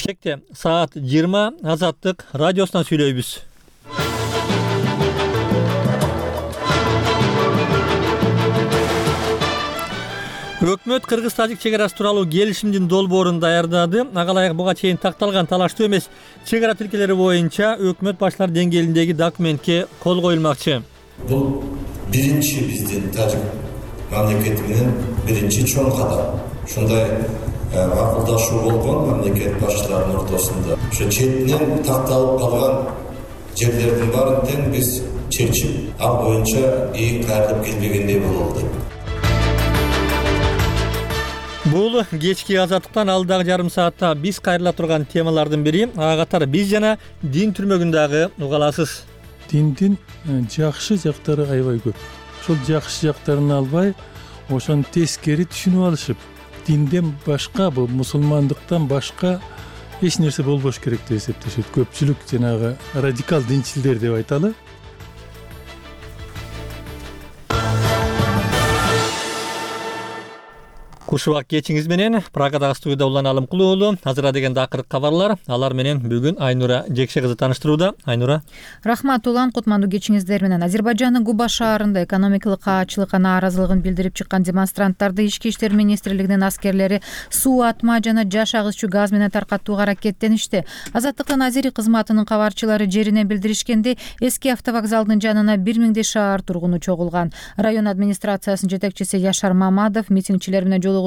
Бишкекте саат 20 Азаттык радиосунан сүйлөйбүз. Өкмөт Кыргыз-Тажик чек арасы тууралуу келишимдин долбоорун даярдады. Ага ылайык буга чейин такталган талаштуу эмес чек ара тилкелери боюнча өкмөт башчылары деңгээлиндеги документке кол коюлмакчы. Бул биринчи биздин тажик мамлекети менен биринчи чоң кадам. Ушундай макулдашуу болгон мамлекет башчыларынын ортосунда. Ошо четинен такталып калган жерлердин баарын тең биз чечип, ал боюнча кайрылып келбегендей бололу деп. Бул кечки Азаттыктан алдагы жарым саатта биз кайрыла турган темалардын бири. Ага катары биз жана дин түрмөгүндөгү уга аласыз. Диндин жакшы жактары аябай көп. Ошол жакшы жактарын албай, ошону тескери түшүнүп алышып, динден башка, бул мусулмандыктан башка эч нерсе болбош керек деп эсептешет. Көпчүлүк жанагы радикал динчилдер деп айталы. Кушубак кечиңиз менен Прагадагы студияда Улан Алымкулуу уулу. Азыра дегенде акыркы кабарлар. Алар менен бүгүн Айнура Жекше кызы тааныштырууда. Айнура. Рахмат Улан, кутмандуу кечиңиздер менен. Азербайжандын Губа шаарында экономикалык каачылыкка нааразылыгын билдирип чыккан демонстранттарды Ички иштер министрлигинин аскерлери суу атма жана жаш агызчу газ менен таркатууга аракеттеништи. Азаттыктын азири кызматынын кабарчылары жеринен билдиришкенде, эски автовокзалдын жанына 1000дей шаар тургуну чогулган. Район администрациясынын жетекчиси Яшар Мамадов митингчилер менен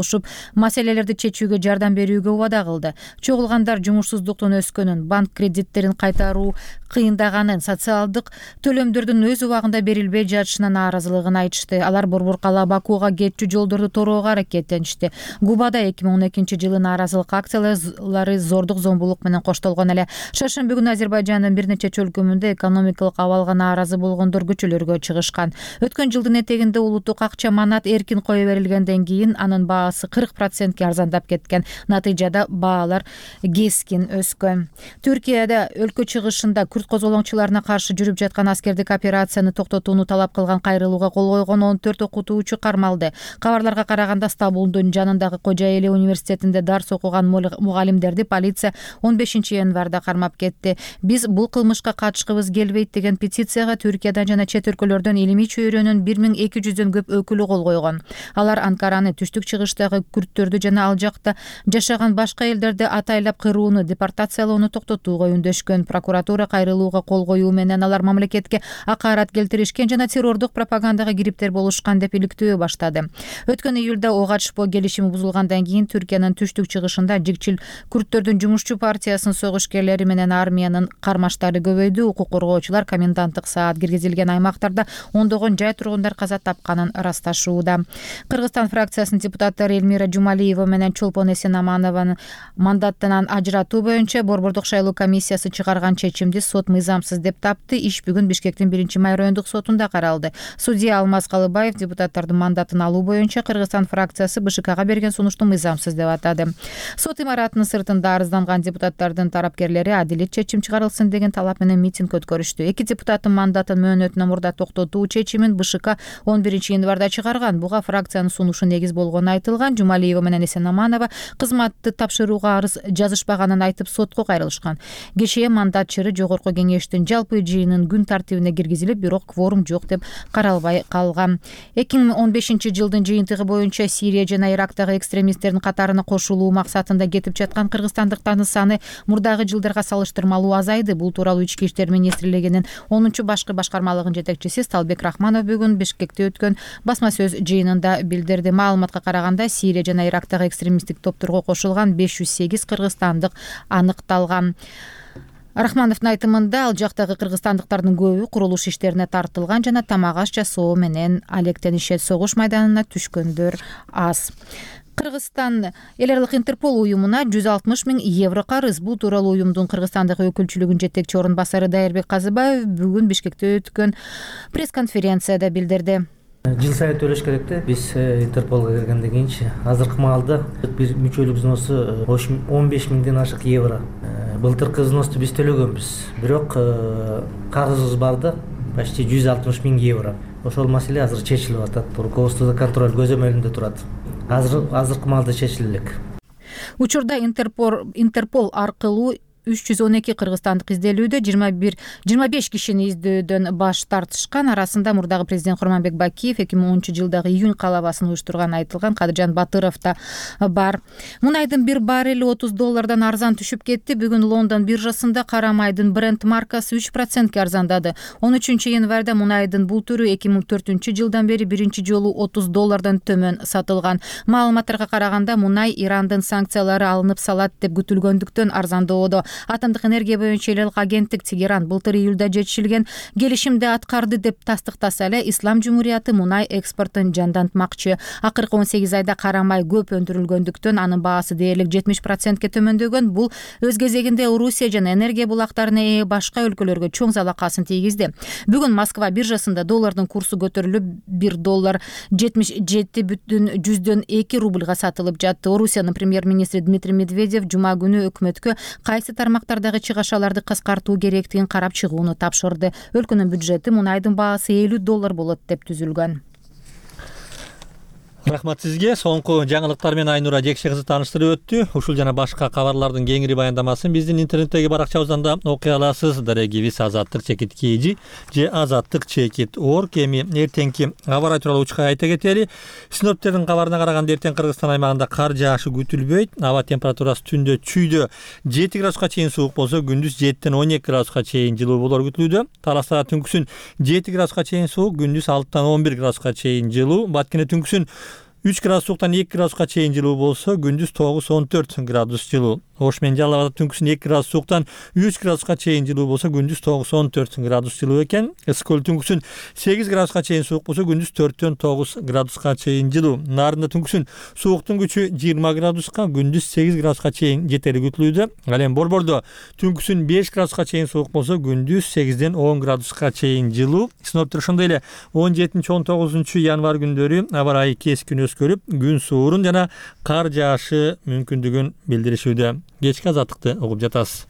маселелерди чечүүгө жардам берүүгө убада кылды. Чогулгандар жумушсуздуктун өскөнүн, банк кредиттерин кайтаруу кыйындаганын, социалдык төлөмдөрдүн өз убагында берилбей жатышына нааразылыгын айтышты. Алар Борбор-Кала Бакууга кетчү жолдорду тороого аракеттеништи. Губада 2012-жылы нааразылык акциялары зордук зомбулук менен коштолгон эле. Шаршемби күнү Азербайжандын бир нече чөлкөмүндө экономикалык абалга нааразы болгондор көчөлөргө чыгышкан. Өткөн жылдын этегинде улуттук акча манат эркин кое берилгенден кийин анын баасы 40%ке арзандап кеткен. Натыйжада баалар кескин өскөн. Түркияда өлкө чыгышында күрд козголоңчуларына каршы жүрүп жаткан аскердик операцияны токтотууну талап кылган кайрылууга кол койгон 14 окутуучу кармалды. Кабарларга караганда Стамбулдун жанындагы Кожоэли университетинде дарс окуган мугалимдерди полиция 15-январда кармап кетти. Биз бул кылмышка катышкыбыз келбейт деген петицияга Түркиядан жана чет өлкөлөрдөн илимий чөйрөнүн 1200дөн көп өкүлү кол койгон. Алар Анкараны, түштүк чыгыштагы күрттөрдү жана ал жакта жашаган башка элдерди атайлап кырууну, депортациялоону токтотууга үндөшкөн. Прокуратура кайрылууга кол коюу менен алар мамлекетке акарат келтиришкен жана террордук пропагандага кириптер болушкан деп иликтөө баштады. Өткөн июлда ого атышпоо келишими бузулгандан кийин Түркиянын түштүк чыгышында жигчил күрттөрдүн жумушчу партиясынын согушкерлери менен армиянын кармаштары көбөйдү. Укук коргоочулар коменданттык саат киргизилген аймактарда ондогон жай тургундар каза тапканын ырасташууда. Кыргызстан фракциясынын депутаттары Эльмира Жумалиева менен Чолпон Эсенаманованы мандаттан ажыратуу боюнча Борбордук шайлоо комиссиясы чыгарган чечимди сот мыйзамсыз деп тапты. Иш бүгүн Бишкектин 1-май райондук сотунда каралды. Судья Алмаз Калыбаев депутаттардын мандатын алуу боюнча Кыргызстан фракциясы БШКга берген сунушту мыйзамсыз деп атады. Сот имаратынын сыртында арызданган депутаттардын тарапкерлери адилет чечим чыгарылсын деген талап менен митинг өткөрүштү. Эки депутаттын мандатын мөөнөтүнөн мурда токтотуу чечимин БШК 11-январда чыгарган. Буга фракциянын сунушу негиз болгону айтылган. Жумалиева менен Эсенаманова кызматты тапшырууга арыз жазышпаганын айтып сотко кайрылышкан. Кечээ мандат чыры жогорку кеңештин жалпы жыйынын күн тартибине киргизилип, бирок кворум жок деп каралбай калган. 2015-жылдын жыйынтыгы боюнча Сирия жана Ирактагы экстремисттердин катарына кошулуу максатында кетип жаткан кыргызстандыктардын саны мурдагы жылдарга салыштырмалуу азайды. Бул тууралуу Ички иштер министрлигинин 10-башкы башкармалыгынын жетекчиси Сталбек Рахманов бүгүн Бишкекте өткөн басма сөз жыйынында билдирди. Маалыматка караганда Сирия жана Ирактагы экстремисттик топторго кошулган 508 кыргызстандык аныкталган. Рахмановдун айтымында, ал жактагы кыргызстандыктардын көбү курулуш иштерине тартылган жана тамак аш жасоо менен алектенишет. Согуш майданына түшкөндөр аз. Кыргызстан эл аралык Интерпол уюмуна 160 000 евро карыз. Бул тууралуу уюмдун Кыргызстандагы өкүлчүлүгүнүн жетекчи орун басары Дайырбек Казыбаев бүгүн Бишкекте өткөн пресс-конференцияда билдирди. Жыл сайын төлөш керек да. Биз Интерполго киргенден кийинчи азыркы маалда бир мүчөлүк взносу 15 000ден ашык евро. Былтыркы взносты биз төлөгөнбүз. Бирок карызыбыз бар да, почти 160 000 евро. Ошол маселе азыр чечилип атат. Руководстводо контроль көзөмөлүндө турат. Азыркы маалда чечиле элек. Учурда Интерпол аркылуу 312 кыргызстандык изделүүдө 25 кишини издөөдөн баш тартышкан. Арасында мурдагы президент Курманбек Бакиев 2010-жылдагы июнь калабасын уюштурганы айтылган Кадыржан Батыров да бар. Мунайдын бир баррели $30 арзан түшүп кетти. Бүгүн Лондон биржасында кара майдын Brent маркасы 3% арзандады. 13 январда мунайдын бул түрү 2004-жылдан бери биринчи жолу $30 төмөн сатылган. Маалыматтарга караганда мунай Ирандын санкциялары алынып салат деп күтүлгөндүктөн арзандоодо. Атомдук энергия боюнча эл элек агенттик Тегеран былтыр июлда жетишилген келишимди аткарды деп тастыктаса эле Ислам Жумурияты мунай экспортун жандантмакчы. Акыркы 18 айда кара май көп өндүрүлгөндүктөн анын баасы дээрлик 70%ке төмөндөгөн. Бул өз кезегинде Орусия жана энергия булактарына ээ башка өлкөлөргө чоң залакасын тийгизди. Бүгүн Москва биржасында доллардын курсу көтөрүлүп $1 77,2 рубльга сатылып жатты. Орусиянын премьер-министри Дмитрий Медведев жума күнү өкмөткө кайсы тармактардагы чыгашаларды кыскартуу керектигин карап чыгууну тапшырды. Өлкөнүн бюджети мунайдын баасы $50 болот деп түзүлгөн. Рахмат сизге. Соңку жаңылыктар менен Айнура Жекше кызы тааныштырып өттү. Ушул жана башка кабарлардын кеңири баяндамасын биздин интернеттеги баракчабыздан да окуй аласыз. Дарегибиз azаттык-kg же azаттык-org. Эми эртеңки аба ырайы тууралуу учка айта кетели. Синоптиктердин кабарына караганда эртең Кыргызстан аймагында кар жаашы күтүлбөйт. Аба температурасы түндө чүйдө 7 градуска чейин суук болсо, күндүз 7ден 12 градуска чейин жылуу болор күтүлүүдө. Таласта түнкүсүн 7 градуска чейин суук, күндүз 6дан 11 градуска чейин жылуу. Баткене түнкүсүн 3 градус сууктан 2 градуска чейин жылуу болсо, күндүз 9-14 градус жылуу. Ош менен Жалал Абадда түнкүсүн 2 градус сууктан 3 градуска чейин жылуу болсо, күндүз 9-14 градус жылуу экен. Ысык көл түнкүсүн 8 градуска чейин суук болсо, күндүз 4дөн 9 градуска чейин жылуу. Нарында түнкүсүн сууктун күчү 20 градуска, күндүз 8 градуска чейин жетери күтүлүүдө. Ал эми Борбордо түнкүсүн 5 градуска чейин суук болсо, күндүз 8ден 10 градуска чейин жылуу. Синоптиктер ошондой эле 17-19 январь күндөрү аба ырайы кескин өзгөрүп, күн суурун жана кар жаашы мүмкүндүгүн билдиришүүдө. Кечки азаттыкты угуп жатасыз.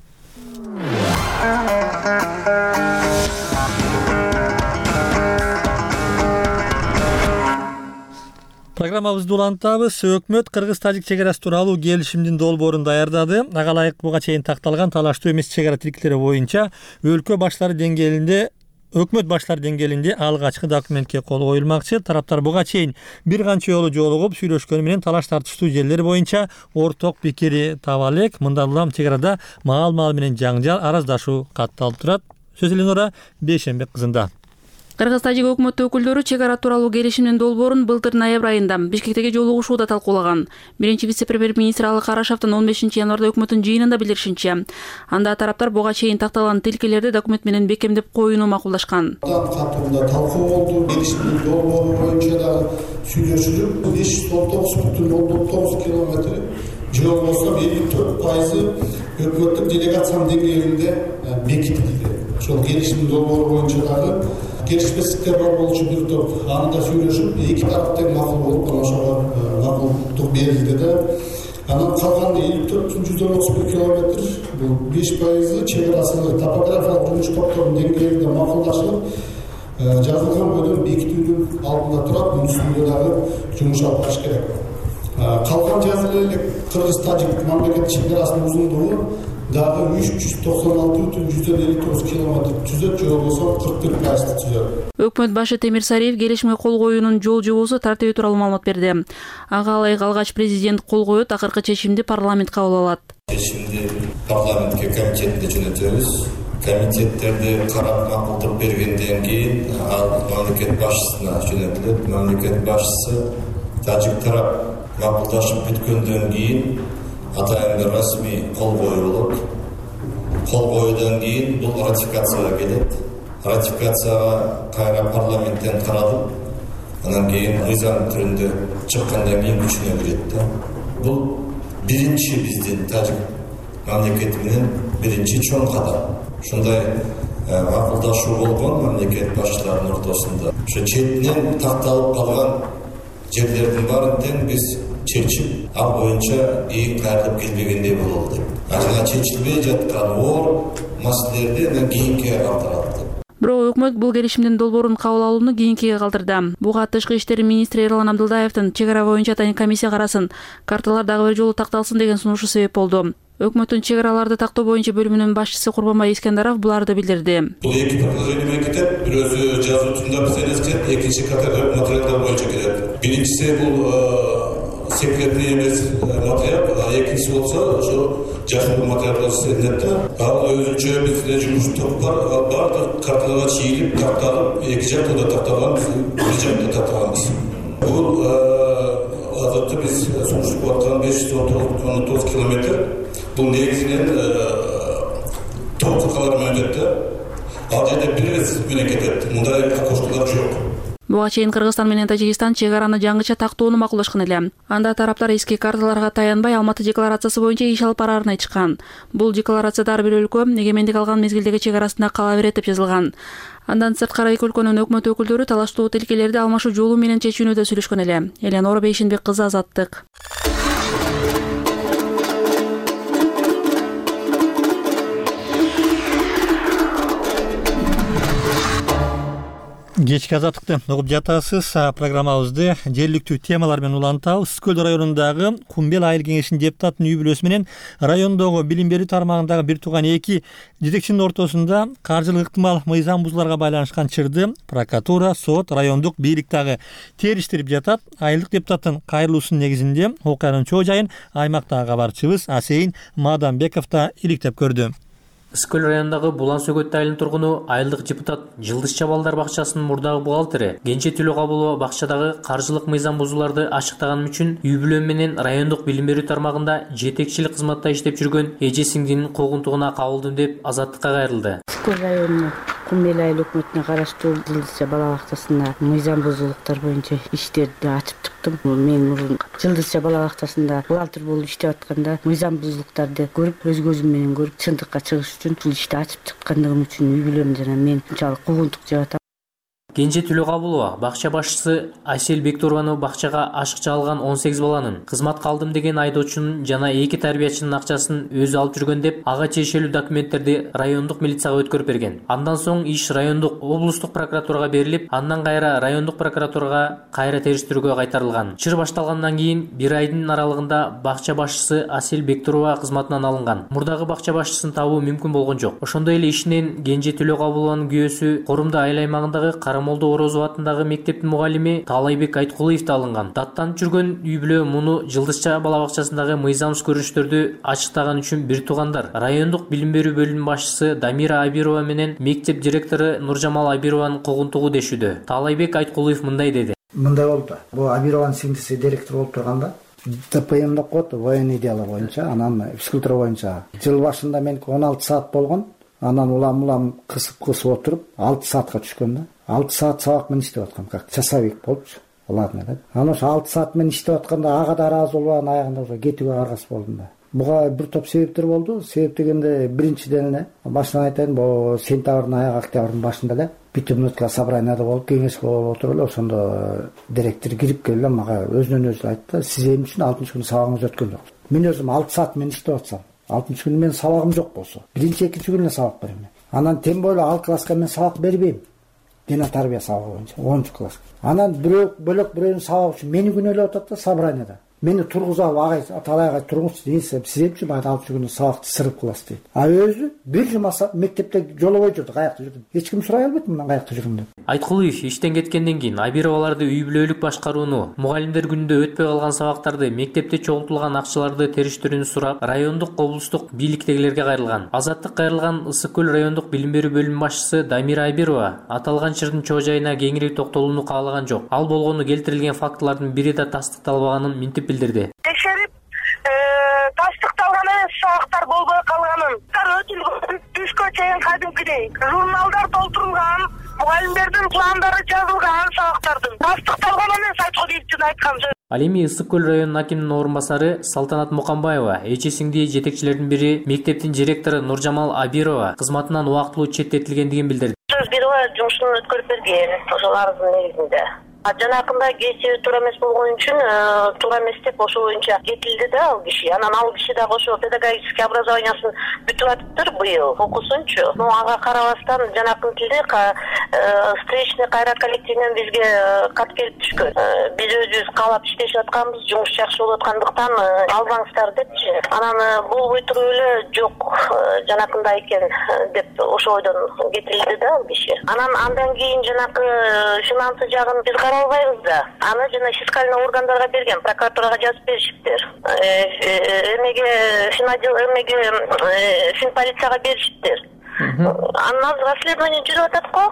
Программабызды улантабыз. Өкмөт кыргыз-тажик чек арасы тууралуу келишимдин долбоорун даярдады. Ага ылайык буга чейин такталган талаштуу эмес чек ара тилкелери боюнча өлкө баштары деңгээлинде Өкмөт баштары деңгээлинде алгачкы документке кол коюлмакчы. Тараптар буга чейин бир канча жолу жолугуп сүйлөшкөнү менен талаш тартыштуу жерлер боюнча орток пикири таба элек. Мындан улам чек арада маал менен жаңжал, араздашуу катталып турат. Сөз Эленора Бейшенбек кызында. Кыргыз-тажик өкмөт өкүлдөрү чек ара тууралуу келишимдин долбоорун былтыр ноябрь айында Бишкектеги жолугушууда талкуулаган. Биринчи вице-премьер-министр Алы Карашевдин 15 январда өкмөттүн жыйынында билдиришинче, анда тараптар буга чейин такталган тилкелерди документ менен бекемдеп коюуну макулдашкан. Катында талкуу болду. Келишимдин долбоору боюнча да сүйлөшүлүп, 519,9 километр жол болсо, 54% өкмөттүк делегациянын деңгээлинде бекитилди. Ошол келишимдин долбоору боюнча дагы келишпестиктер бар болчу бир топ, анда сүйлөшүп, эки тарап тең макул болуп, ошого макулдук берилди да. Анан калган 54,191 километр, бул 5% чек арасы топографиялык жумуш топторунун деңгээлинде макулдашылып, жазылган бөлүм бекитүүнүн алдында турат, мунун үстүндө дагы жумуш алып барыш керек. Калган жазылы элек Кыргыз-тажик мамлекет чек арасынын узундугу дагы 396,159 километр түзөт, же болбосо 41% түзөт. Өкмөт башы Темир Сариев келишимге кол коюунун жол жобосу тартиби тууралуу маалымат берди. Ага ылайык алгач президент кол коет, акыркы чечимди парламент кабыл алат. Чечимди парламентке комитетте жөнөтөбүз. Комитеттерди карап макулдук бергенден кийин ал мамлекет башчысына жөнөтүлөт. Мамлекет башчысы тажик тарап макулдашып бүткөндөн кийин атайын бир расмий кол коюлот. Кол коюудан кийин бул ратификацияга келет. Ратификацияга кайра парламенттен каралып, анан кийин мыйзам түрүндө чыккандан кийин күчүнө кирет да. Бул биринчи биздин тажик мамлекети менен биринчи чоң кадам. Ушундай макулдашуу болгон мамлекет башчыларынын ортосунда. Ошо четинен такталып калган жерлердин баарын тең биз чечип, ал боюнча ийин кайрылып келбегендей бололу деп. Жана чечилбей жаткан оор маселелерди кийинке калтырат. Бирок өкмөт бул келишимдин долбоорун кабыл алууну кийинкиге калтырды. Буга Тышкы иштер министри Эрлан Абдылдаевдин чек ара боюнча тайын комиссия карасын, карталар дагы бир жолу такталсын деген сунушу себеп болду. Өкмөттүн чек араларды тактоо боюнча бөлүмүнүн башчысы Курбанбай Искендаров буларды билдирди. Бул эки предложение менен кетет. Бирөөсү жазуучунда бизнес кетет, экинчи категория материалдар боюнча кетет. Биринчиси бул секретный эмес материал, экинчиси болсо ошо жашыл материал болуп эсептелет да. Ал өзүнчө бизде жумуш топ бар, ал баардык карталарга чийилип, такталып, эки жакта да такталган, бир жакта такталганбыз. Бул азыркы биз сунуштуп аткан 519 километр. Бул негизинен топ калар менен өтөт. Ал жерде бир эс менен кетет. Мындай окошкалар жок. Буга чейин Кыргызстан менен Тажикстан чек араны жаңыча тактоону макулдашкан эле. Анда тараптар эски карталарга таянбай Алматы декларациясы боюнча иш алып барарын айтышкан. Бул декларацияда ар бир өлкө эгемендик алган мезгилдеги чек арасында кала берет деп жазылган. Андан сырткары эки өлкөнүн өкмөт өкүлдөрү талаштуу тилкелерди алмашуу жолу менен чечүүнү сүйлөшкөн эле. Эленора Бейшенбек кызы, Азаттык. Кечки Азаттыкты угуп жатасыз. Программабызды жергиликтүү темалар менен улантабыз. Үскөл районундагы Кумбел айыл кеңешинин депутатынын үй бүлөсү менен райондогу билим берүү тармагындагы бир тууган эки жетекчинин ортосунда каржылык ыктымал мыйзам бузууларга байланышкан чырды прокуратура, сот, райондук бийлик дагы териштирип жатат. Айылдык депутаттын кайрылуусунун негизинде окуянын чоо жайын аймактагы кабарчыбыз Асейин Маданбеков да иликтеп көрдү. Үскөл районундагы Булан Сөгөт айылынын тургуну айылдык депутат Жылдызча балдар бакчасынын мурдагы бухгалтери Кенже Төлөкабылова бакчадагы каржылык мыйзам бузууларды ачыктаганым үчүн үй бүлө менен райондук билим берүү тармагында жетекчилик кызматта иштеп жүргөн эже сиңдинин куугунтугуна кабылдым деп Азаттыкка кайрылды. Үскөл районунун Кумбел айыл өкмөтүнө караштуу Жылдызча бала бакчасында мыйзам бузуулуктар боюнча иштерди ачып чыктым. Мен мурун Жылдызча бала бакчасында бухгалтер болуп иштеп атканда мыйзам бузуулуктарды көрүп, өз көзүм менен көрүп, чындыкка чыгыш үчүн бул ишти ачып чыккандыгым үчүн үй бүлөм жана мен ушунчалык куугунтук жеп атам. Кенже Төлөкабылова бакча башчысы Айсел Бектурованы бакчага ашыкча алган 18 баланын кызматка алдым деген айдоочунун жана 2 тарбиячынын акчасын өзү алып жүргөн деп ага тиешелүү документтерди райондук милицияга өткөрүп берген. Андан соң иш райондук облустук прокуратурага берилип, андан кайра райондук прокуратурага кайра териштирүүгө кайтарылган. Чыр башталгандан кийин 1 айдын аралыгында бакча башчысы Асел Бектурова кызматынан алынган. Мурдагы бакча башчысын табуу мүмкүн болгон жок. Ошондой эле ишинен Кенже Төлөкабылованын күйөөсү Корумда айыл аймагындагы Молдо Орозов атындагы мектептин мугалими Таалайбек Айткулуев да алынган. Даттанып жүргөн үй бүлө муну Жылдызча бала бакчасындагы мыйзамсыз көрүнүштөрдү ачыктаган үчүн бир туугандар райондук билим берүү бөлүмүнүн башчысы Дамира Абирова менен мектеп директору Нуржамал Абированын куугунтугу дешүүдө. Таалайбек Айткулуев мындай деди. Мындай болду. Бул Абированын сиңдиси директор болуп турганда ТПМ деп коет, военный дело боюнча, анан физкультура боюнча. Жыл башында мен 16 саат болгон. Анан улам кысып отуруп 6 саатка түшкөн да. 6 саат сабак менен иштеп аткам, как часовик болупчу. Ладно да. Анан ошо 6 саат менен иштеп атканда ага да ыраазы болбаган, аягында ошо кетүүгө аргасыз болдум да. Буга бир топ себептер болду. Себеп дегенде биринчиден эле башынан айтайын, бул сентябрдын аягы, октябрдын башында эле битумнутка собранияда болуп, кеңешке болуп отуруп эле ошондо директор кирип келип мага өзүнөн өзү айтты, сиз эмне үчүн 6-күнү сабагыңыз өткөн жок? Мен өзүм 6 саат менен иштеп атсам, 6-күнү менин сабагым жок болсо, биринчи, экинчи күнү сабак берем. Анан тем более ал класска мен сабак бербейм. Дина тарбия сабагы боюнча 10 класс. Анан бөлөк бирөөнүн сабагы үчүн мени күнөөлөп атат да собранияда. Мени тургузап агай талайга тургуз, сиз эмчи бай 6 күнү сабакты сырып кыласыз дейт. А өзү бир жума мектепте жолобой жүрдү, каякта жүрдүм. Эч ким сурай албайт мындан каякта жүрүм деп. Айткулуев иштен кеткенден кийин Абироваларды үй бүлөлүк башкарууну, мугалимдер күнүндө өтпөй калган сабактарды, мектепте чогултулган акчаларды териштирүүнү сурап, райондук, облустук бийликтегилерге кайрылган. Азаттык кайрылган Ысык көл райондук билим берүү бөлүмүнүн башчысы Дамира Абирова аталган чырдын чоо жайына кеңири токтолууну каалаган жок. Ал болгону келтирилген фактылардын бири да тастыкталбаганын минтип билдирди. Текшерип, тастыкталган эмес сабактар болбой калганын, өтүлгөн, түшкө чейин кадимкидей журналдар толтурулган, мугалимдердин пландары жазылган сабактардын тастыкталган эмес, Айткулуевдин айткан сөзү. Ал эми Ысык көл районунун акиминин орун басары Салтанат Мукамбаева, эчесиңди жетекчилердин бири мектептин директору Нуржамал Абирова кызматынан убактылуу четтетилгендигин билдирди. Сөз берип жумушун өткөрүп берген, ошол арыздын негизинде. Жанакында кесиби туура эмес болгон үчүн туура эмес деп ошол боюнча кетилди да ал киши. Анан ал киши дагы ошо педагогический образованиясын бүтүп атыптыр быйыл, окусунчу. Но ага карабастан жанакынтилде встречный кайра коллективинен бизге кат келип түшкөн. Биз өзүбүз каалап иштешип атканбыз, жумуш жакшы болуп аткандыктан албаңыздар депчи. Анан болбой туруп эле жок жанакында экен деп ошол ойдон кетилди да ал киши. Андан кийин жанакы финансы жагын биз карай албайбыз да. Аны жана фискальный органдарга берген, прокуратурага жазып беришиптир. Финполицияга беришиптир. Анан азыр расследование жүрүп атат го.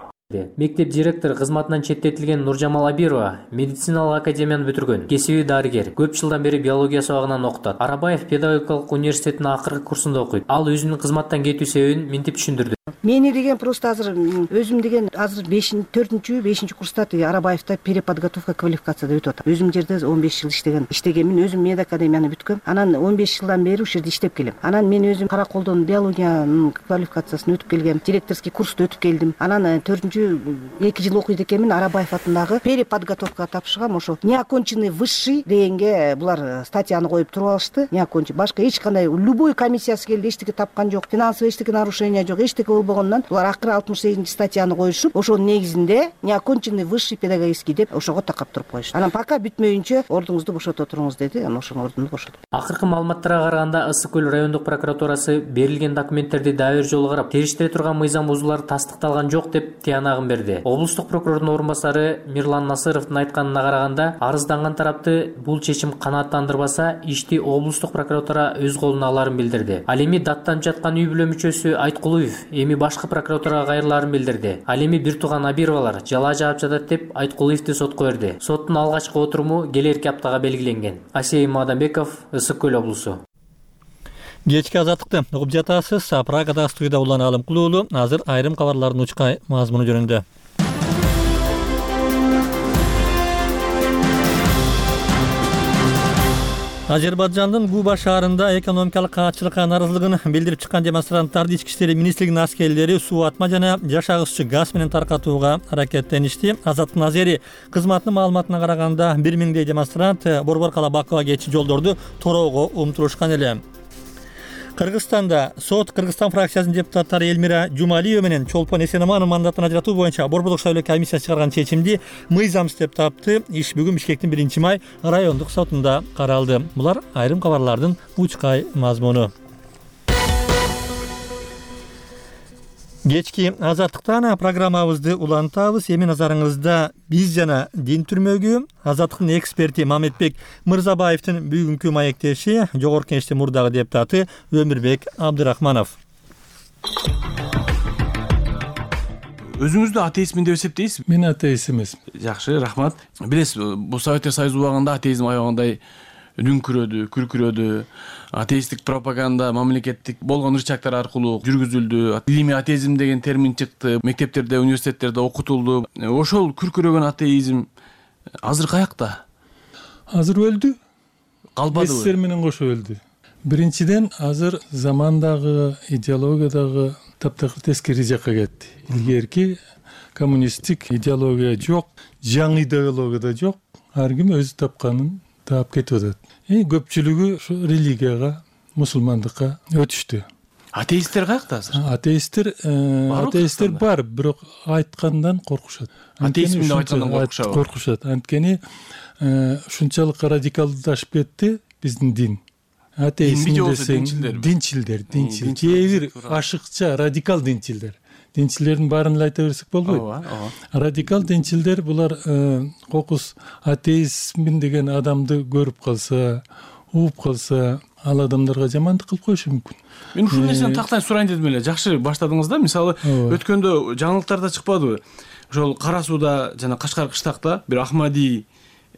Мектеп директору кызматынан четтетилген Нуржамал Абирова медициналык академияны бүтүргөн. Кесиби дарыгер. Көп жылдан бери биология сабагынан окутат. Арабаев педагогикалык университетинин акыркы курсунда окуйт. Ал өзүнүн кызматтан кетүү себебин мынтип түшүндүрдү. Мени деген просто азыр өзүм деген азыр 4-5 курста Арабаевда переподготовка квалификацияда өтүп атам. Өзүм жерде 15 жыл иштегенмин, өзүм медакадемияны бүткөм. Анан 15 жылдан бери ушул жерде иштеп келем. Анан мен өзүм Караколдон биологиянын квалификациясын өтүп келгем, директорский курсту өтүп келдим. Анан 2 жыл окуйт экенмин, Арабаев атындагы переподготовкага тапшыргам. Ошо неоконченный высший дегенге булар статьяны коюп туруп алышты. Неоконченный башка эч кандай любой комиссиясы келди, эчтеке тапкан жок, финансовый эчтеке нарушение жок, эчтеке болбогондон булар акыры 68-статьяны коюшуп, ошонун негизинде неоконченный высший педагогический деп ошого такап туруп коюшту. Анан пока бүтмөйүнчө ордуңузду бошото туруңуз деди. Анан ошонун ордунду бошотуп. Акыркы маалыматтарга караганда Ысык көл райондук прокуратурасы берилген документтерди дагы бир жолу карап, териштире турган мыйзам бузуулар тастыкталган жок деп тыянагын берди. Облустук прокурордун орун басары Мирлан Насыровдун айтканына караганда, арызданган тарапты бул чечим канааттандырбаса, ишти облустук прокуратура өз колуна аларын билдирди. Ал эми даттанып жаткан үй бүлө мүчөсү Айткулуев эми башкы прокуратурага кайрыларын билдирди. Ал эми бир тууган Абировалар жалаа жаап жатат деп Айткулуевди сотко берди. Соттун алгачкы отуруму келерки аптага белгиленген. Асей Мадамбеков, Ысык көл облусу. Кечки азаттыкты угуп жатасыз. Прагада студияда Улан Алымкул уулу. Азыр айрым кабарлардын учка мазмуну жөнүндө. Азербайжандын Губа шаарында экономикалык каатчылыкка нааразылыгын билдирип чыккан демонстранттарды ички иштер министрлигинин аскерлери суу атма жана жашагыччы газ менен таркатууга аракеттеништи. Азаттын Азери кызматынын маалыматына караганда 1000дей демонстрант Борбор-Кала-Бакуга кетчү жолдорду тороого умтурушкан эле. Кыргызстанда сот Кыргызстан фракциясынын депутаттары Элмира Жумалиева менен Чолпон Эсенамановдун мандатын ажыратуу боюнча Борбордук шайлоо комиссиясы чыгарган чечимди мыйзамсыз деп тапты. Иш бүгүн Бишкектин 1-май райондук сотунда каралды. Булар айрым кабарлардын учкай мазмуну. Кечки азаттыктан программабызды улантабыз. Эми назарыңызда биз жана дин түрмөгү, азаттыктын эксперти Мамедбек Мырзабаевдин бүгүнкү маектеши Жогорку Кеңештин мурдагы депутаты Өмүрбек Абдырахманов. Өзүңүздү атеистмин деп эсептейсизби? Мен атеист эмесмин. Жакшы, рахмат. Билесиз, бул Советтер Союзу убагында атеизм аябагандай дүңкүрөдү, күркүрөдү. Атеисттик пропаганда мамлекеттик болгон ырчактар аркылуу жүргүзүлдү. Илимий атеизм деген термин чыкты, мектептерде, университеттерде окутулду. Ошол күркүрөгөн атеизм азыр каякта? Азыр өлдү. Калбадыбы? Эстер менен кошо өлдү. Биринчиден, азыр замандагы, идеологиядагы таптакыр тескери жакка кетти. Илгерки коммунисттик идеология жок, жаңы идеология да жок. Ар ким өзү тапканын таап кетип атат. Көпчүлүгү ушу религияга, мусулмандыкка өтүштү. Атеисттер каякта азыр? Атеисттер бар, бирок айткандан коркушат. Атеизм деп айткандан коркушат. Анткени ушунчалык радикалдашып кетти биздин дин. Атеизм десең динчилдер. Кээ бир ашыкча радикал динчилдер. Динчилердин баарын эле айта берсек болбойт. Радикал динчилдер булар кокус атеизмин деген адамды көрүп калса, угуп калса, ал адамдарга жамандык кылып коюшу мүмкүн. Мен ушул нерсени тактан сурайын дедим эле. Жакшы баштадыңыз да. Мисалы, өткөндө жаңылыктарда чыкпадыбы? Ошол Кара Сууда жана Кашкар кыштакта бир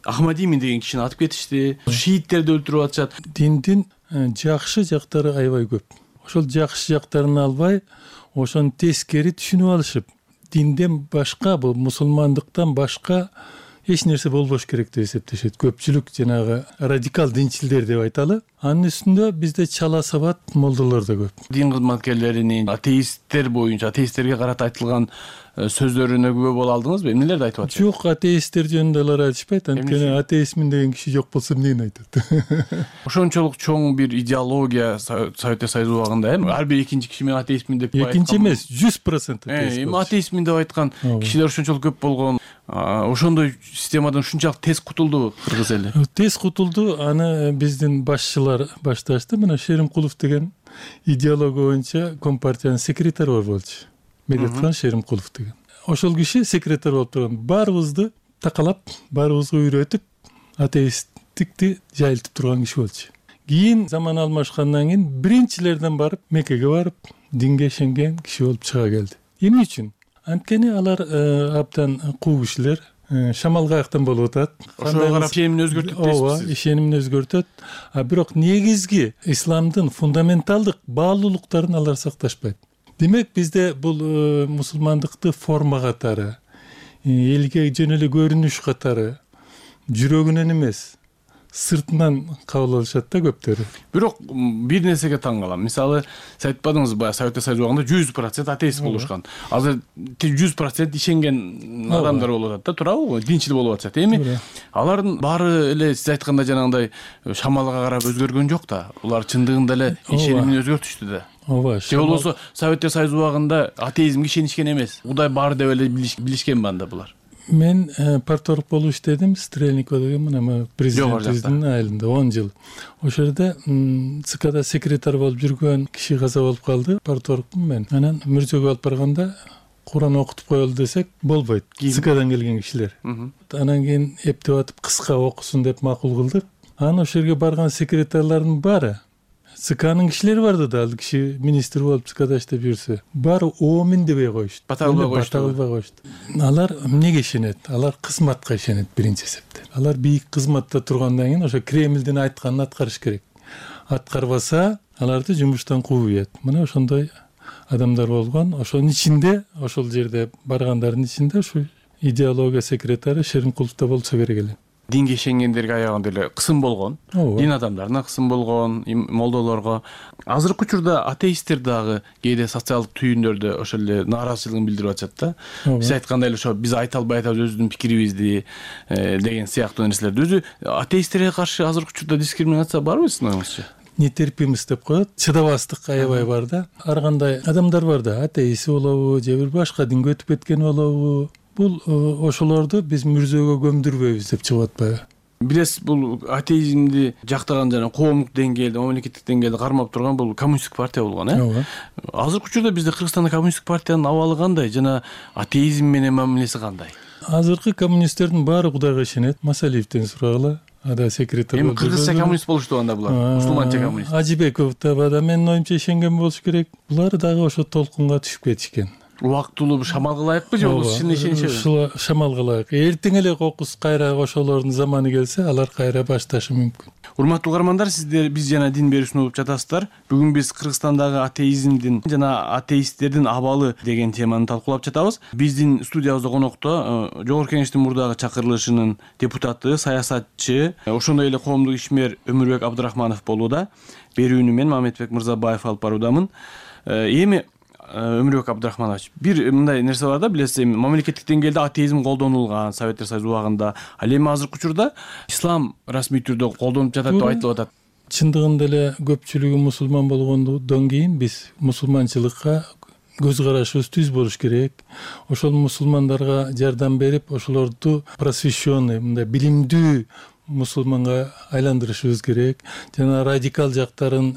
Ахмадимин деген кишини атып кетишти. Шииттерди өлтүрүп атышат. Диндин жакшы жактары аябай көп. Ошол жакшы жактарын албай, ошону тескери түшүнүп алышып, динден башка, бул мусулмандыктан башка эч нерсе болбош керек деп эсептешет. Көпчүлүк жанагы радикал динчилдер деп айталы. Анын үстүндө бизде чала сабат молдолор да көп. Дин кызматкерлеринин атеисттер боюнча атеисттерге карата айтылган сөздөрүнө күбө боло алдыңызбы? Эмнелерди айтып атышат? Жок, атеисттер жөнүндө алар айтышпайт. Анткени атеистмин деген киши жок болсо эмнени айтат? Ошончолук чоң бир идеология Советтер Союзу убагында ар бир экинчи киши мен атеистмин деп айткан. Экинчи эмес, 100% атеист. Эми атеистмин деп айткан кишилер ошончолук көп болгон. Ошондой системадан ушунчалык тез кутулду кыргыз эли. Тез кутулду. Аны биздин башчылар башташты. Мына Шеримкулов деген идеология боюнча Компартиянын секретары болчу. Медетхан Шеримкулов деген. Ошол киши секретар болуп турган. Баарыбызды такалап, баарыбызга үйрөтүп, атеисттикти жайылтып турган киши болчу. Кийин заман алмашкандан кийин биринчилерден барып, Меккеге барып, динге ишенген киши болуп чыга келди. Эмне үчүн? Анткени алар абдан куу кишилер, шамал каяктан болуп атат. Ошого карап ишенимин өзгөртөт дейсизби? Ооба, ишенимин өзгөртөт. Бирок негизги исламдын фундаменталдык баалуулуктарын алар сакташпайт. Демек бизде бул мусулмандыкты форма катары, элге жөн эле көрүнүш катары, жүрөгүнөн эмес, сыртынан кабыл алышат да көптөрү. Бирок бир нерсеге таң калам. Мисалы, сиз айтпадыңызбы, баягы Советтер Союзу убагында 100% атеист болушкан. Азыр 100% ишенген адамдар болуп атат да, туурабы? Динчил болуп атышат. Эми алардын баары эле сиз айткандай жанагындай шамалга карап өзгөргөн жок да. Улар чындыгында эле ишенимин өзгөртүштү да. Ооба. Же болбосо Советтер Союзу убагында атеизмге ишенишкен эмес. Кудай бар деп эле билишкен банда булар. Мен парторг болуп иштедим, Стрельникова деген мына президентибиздин айылында 10 жыл. Ошол жерде ЦКда секретар болуп жүргөн киши каза болуп калды, парторгмун мен. Анан мөрзөгө алып барганда Куран окутуп коелу десек болбойт. ЦКдан келген кишилер. Анан кийин эптеп атып кыска окусун деп макул кылдык. Анан ошол жерге барган секретарлардын баары ЦКнын кишилери барды да, ал киши министр болуп ЦКда иштеп жүрсө, баары оомин дебей коюшту. Бата кылбай коюшту. Алар эмнеге ишенет? Алар кызматка ишенет биринчи эсепте. Алар бийик кызматта тургандан кийин ошо Кремлдин айтканын аткарыш керек. Аткарбаса, аларды жумуштан кууйт. Мына ошондой адамдар болгон. Ошонун ичинде, ошол жерде баргандардын ичинде ушу идеология секретары Шеримкулов да болсо керек эле. Динге ишенгендерге аягында эле кысым болгон. Дин адамдарына кысым болгон, молдолорго. Азыркы учурда атеисттер дагы кээде социалдык түйүндөрдө ошол эле нааразычылыгын билдирип атышат да. Биз айткандай эле ошо биз айта албай атабыз өзүбүздүн пикирибизди деген сыяктуу нерселерди. Өзү атеисттерге каршы азыркы учурда дискриминация барбы сиздин оюңузча? Нетерпимость деп коет, чыдабастык аябай бар да. Ар кандай адамдар бар да, атеист болобу, же бир башка динге өтүп кеткен болобу. Бул ошолорду биз мүрзөгө көмдүрбөйбүз деп чыгып атпайбы? Билесиз, бул атеизмди жактаган жана коомдук деңгээлде, мамлекеттик деңгээлде кармап турган бул коммунисттик партия болгон, Ооба. Азыркы учурда бизде Кыргызстанда коммунисттик партиянын абалы кандай жана атеизм менен мамилеси кандай? Азыркы коммунисттердин баары Кудайга ишенет. Масалиевден сурагыла. Ада секретар. Эми кыргызча коммунист болушту анда булар. Мусулманча коммунист. Ажибеков да менин оюмча ишенген болуш керек. Булар дагы ошо толкунга түшүп кетишкен. Убактылуу шамалга ылайыкпы же болбосо чын ишенишеби? Ушул шамалга ылайык. Эртең эле кокус кайра ошолордун заманы келсе, алар кайра башташы мүмкүн. Урматтуу угармандар, сиздер биз жана дин берүүсүн угуп жатасыздар. Бүгүн биз Кыргызстандагы атеизмдин жана атеисттердин абалы деген теманы талкуулап жатабыз. Биздин студиябызда конокто Жогорку Кеңештин мурдагы чакырылышынын депутаты, саясатчы, ошондой эле коомдук ишмер Өмүрбек Абдрахманов болууда. Берүүнү мен Мамедбек Мырзабаев алып баруудамын. Эми Өмүрбек Абдрахманович, бир мындай нерсе бар да, билесиз, мамлекеттик деңгээлде атеизм колдонулган Советтер Союзу убагында. Ал эми азыркы учурда ислам расмий түрдө колдонуп жатат деп айтылып атат. Чындыгында эле көпчүлүгү мусулман болгондон кийин биз мусулманчылыкка көз карашыбыз түз болуш керек. Ошол мусулмандарга жардам берип, ошолорду просвещенный, мындай билимдүү мусулманга айландырышыбыз керек. Жана радикал жактарын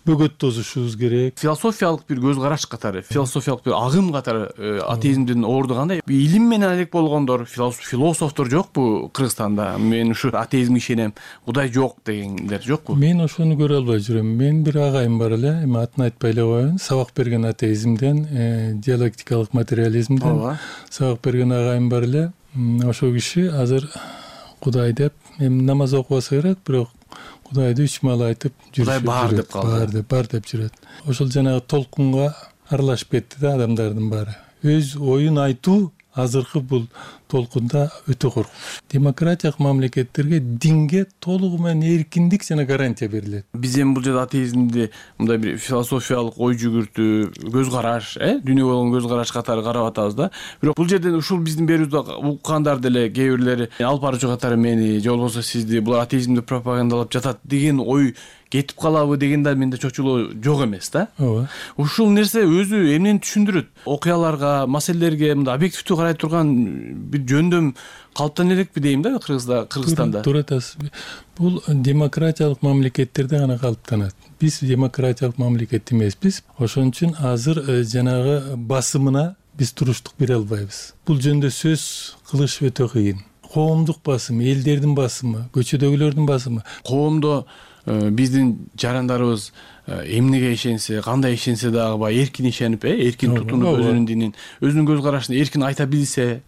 бөгөт тосушубуз керек. Философиялык бир көз караш катары, философиялык бир агым катары атеизмдин орду кандай? Илим менен алек болгондор, философтор жокпу Кыргызстанда? Мен ушу атеизмге ишенем, Кудай жок дегендер жокпу? Мен ошону көрө албай жүрөм. Мен бир агайым бар эле, эми атын айтпай эле коеюн. Сабак берген атеизмден, диалектикалык материализмден сабак берген агайым бар эле. Ошол киши азыр Кудай деп, эми намаз окубаса керек, бирок Кудайды 3 маал айтып жүрүп. Кудай бар деп калды. Бар деп жүрөт. Ошол жанагы толкунга аралашып кетти да адамдардын баары. Өз оюн айтуу азыркы бул толкунда өтө коркунуч. Демократиялык мамлекеттерге динге толугу менен эркиндик жана гарантия берилет. Биз эми бул жерде атеизмди мындай бир философиялык ой жүгүртүү, көз караш, дүйнөгө болгон көз караш катары карап атабыз да. Бирок бул жерден ушул биздин берүүбүздү уккандар деле кээ бирлери алып баруучу катары мени же болбосо сизди булар атеизмди пропагандалап жатат деген ой кетип калабы деген да менде чочулоо жок эмес да. Ооба. Ушул нерсе өзү эмнени түшүндүрөт? Окуяларга, маселелерге мындай объективдүү карай турган бир жөндөм калыптана элекпи дейм да Кыргызстанда. Туура айтасыз. Бул демократиялык мамлекеттерде гана калыптанат. Биз демократиялык мамлекет эмеспиз. Ошон үчүн азыр жанагы басымына биз туруштук бере албайбыз. Бул жөнүндө сөз кылыш өтө кыйын. Коомдук басым, элдердин басымы, көчөдөгүлөрдүн басымы. Коомдо биздин жарандарыбыз эмнеге ишенсе, кандай ишенсе дагы баягы эркин ишенип, эркин тутунуп өзүнүн динин, өзүнүн көз карашын эркин айта билсе,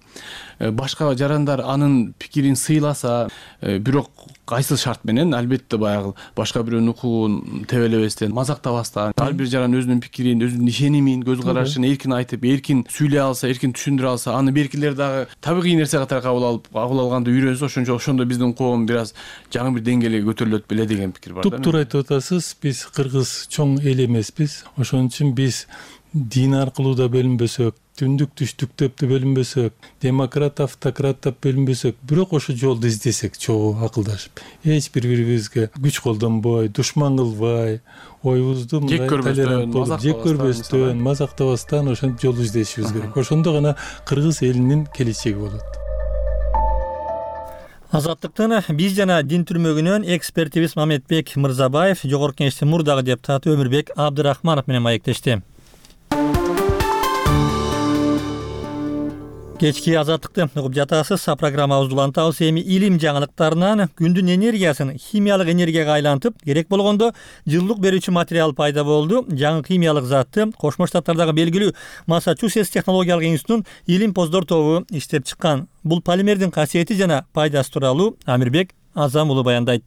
башка жарандар анын пикирин сыйласа, бирок кайсыл шарт менен? Албетте баягы башка бирөөнүн укугун тебелебестен, мазактабастан, ар бир жаран өзүнүн пикирин, өзүнүн ишенимин, көз карашын эркин айтып, эркин сүйлөй алса, эркин түшүндүрө алса, аны беркилер дагы табигый нерсе катары кабыл алганды үйрөнсө, ошондо биздин коом бир аз жаңы бир деңгээлге көтөрүлөт беле деген пикир бар да. Туптуура айтып атасыз. Биз кыргыз чоң эл эмеспиз. Ошон үчүн биз дин аркылуу да бөлүнбөсөк, түндүк түштүктөп да бөлүнбөсөк, демократ автократтап бөлүнбөсөк, бирок ошо жолду издесек чогуу акылдашып, эч бир-бирибизге күч колдонбой, душман кылбай, оюбузду мындай толерант болуп, жек көрбөстөн, мазактабастан ошентип жол издешибиз керек. Ошондо гана кыргыз элинин келечеги болот. Азаттыктын биз жана дин түрмөгүнөн экспертибиз Мамедбек Мырзабаев, Жогорку Кеңештин мурдагы депутаты Өмүрбек Абдырахманов менен маектешти. Кечки азаттыкты угуп жатасыз. Программабызды улантабыз. Эми илим жаңылыктарынан күндүн энергиясын химиялык энергияга айлантып, керек болгондо жылуулук берүүчү материал пайда болду. Жаңы химиялык затты Кошмо Штаттардагы белгилүү Массачусетс технологиялык институтунун илимпоздор тобу иштеп чыккан. Бул полимердин касиети жана пайдасы тууралуу Амирбек Азам уулу баяндайт.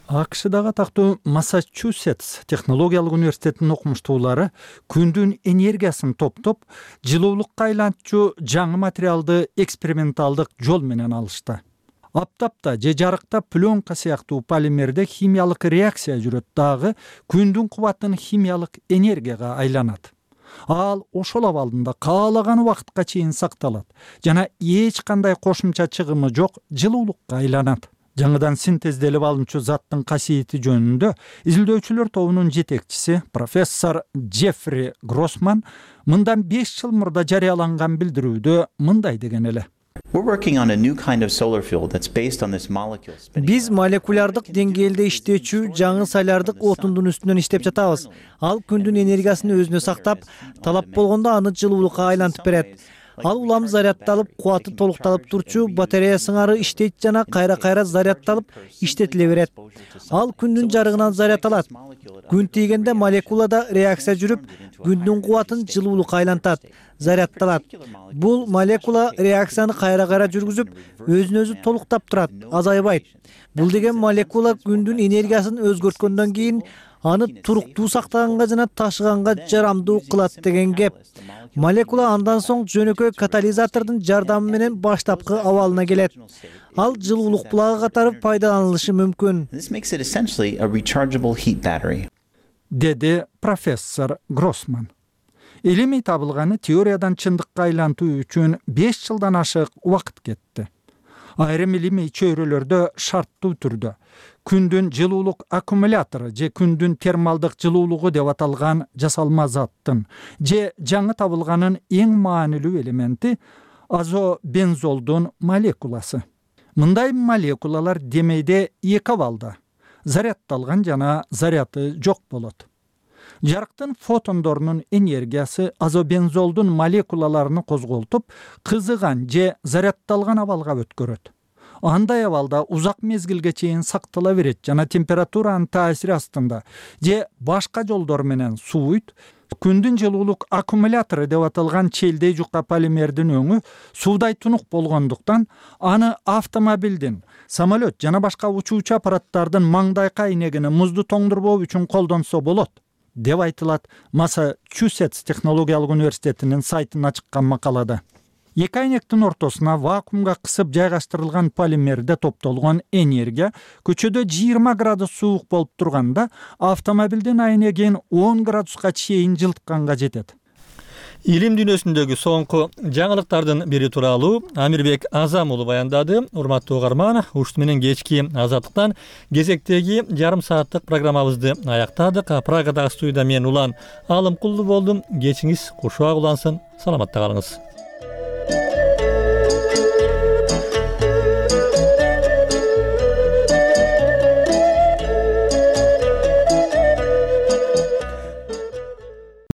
АКШдагы атактуу Массачусетс технологиялык университетинин окумуштуулары күндүн энергиясын топтоп, жылуулукка айлантчу жаңы материалды эксперименталдык жол менен алышты. Аптапта же жарыкта пленка сыяктуу полимерде химиялык реакция жүрөт дагы күндүн кубатын химиялык энергияга айланат. Ал ошол абалында каалаган убакытка чейин сакталат жана эч кандай кошумча чыгымы жок жылуулукка айланат. Жаңыдан синтезделип алынчу заттын касиети жөнүндө изилдөөчүлөр тобунун жетекчиси профессор Джеффри Гроссман мындан 5 жыл мурда жарыяланган билдирүүдө мындай деген эле. Биз молекулярдык деңгээлде иштечү жаңы солярдык отундун үстүнөн иштеп жатабыз. Ал күндүн энергиясын өзүнө сактап, талап болгондо аны жылуулукка айлантып берет. Ал улам зарядталып, кубаты толукталып турчу батарея сыңары иштейт жана кайра-кайра зарядталып, иштетиле берет. Ал күндүн жарыгынан заряд алат. Күн тийгенде молекулада реакция жүрүп, күндүн кубатын жылуулукка айлантат, зарядталат. Бул молекула реакцияны кайра-кайра жүргүзүп, өзүн-өзү толуктап турат, азайбайт. Бул деген молекула күндүн энергиясын өзгөрткөндөн кийин аны туруктуу сактаганга жана ташыганга жарамдуу кылат деген кеп. Молекула андан соң жөнөкөй катализатордун жардамы менен баштапкы абалына келет. Ал жылуулук булагы катары пайдаланылышы мүмкүн. Деди профессор Гроссман. Илимий табылганы теориядан чындыкка айлантуу үчүн 5 жылдан ашык убакыт кетти. Айрым илимий чөйрөлөрдө шарттуу түрдө күндүн жылуулук аккумулятору же күндүн термалдык жылуулугу деп аталган жасалма заттын же жаңы табылганын эң маанилүү элементи азобензолдун молекуласы. Мындай молекулалар демейде 2 абалда зарядталган жана заряды жок болот. Жарыктын фотондорунун энергиясы азобензолдун молекулаларын козголтуп, кызыган же зарядталган абалга өткөрөт. Андай абалда узак мезгилге чейин сактала берет жана температуранын таасири астында же башка жолдор менен сууйт. Күндүн жылуулук аккумулятору деп аталган челдей жука полимердин өңү суудай тунук болгондуктан аны автомобилдин, самолет жана башка учуучу аппараттардын маңдайка айнегини музду тоңдурбоо үчүн колдонсо болот, деп айтылат Массачусетс технологиялык университетинин сайтына чыккан макалада. Эки айнектин ортосуна вакуумга кысып жайгаштырылган полимерде топтолгон энергия көчөдө 20 градус суук болуп турганда автомобилдин айнегин 10 градуска чейин жылытканга жетет. Илим дүйнөсүндөгү соңку жаңылыктардын бири тууралуу Амирбек Азам уулу баяндады. Урматтуу угарман, ушуну менен кечки Азаттыктан кезектеги жарым сааттык программабызды аяктадык. Прагадагы студияда мен Улан Алымкулду болдум. Кечиңиз кушубак улансын. Саламатта калыңыз.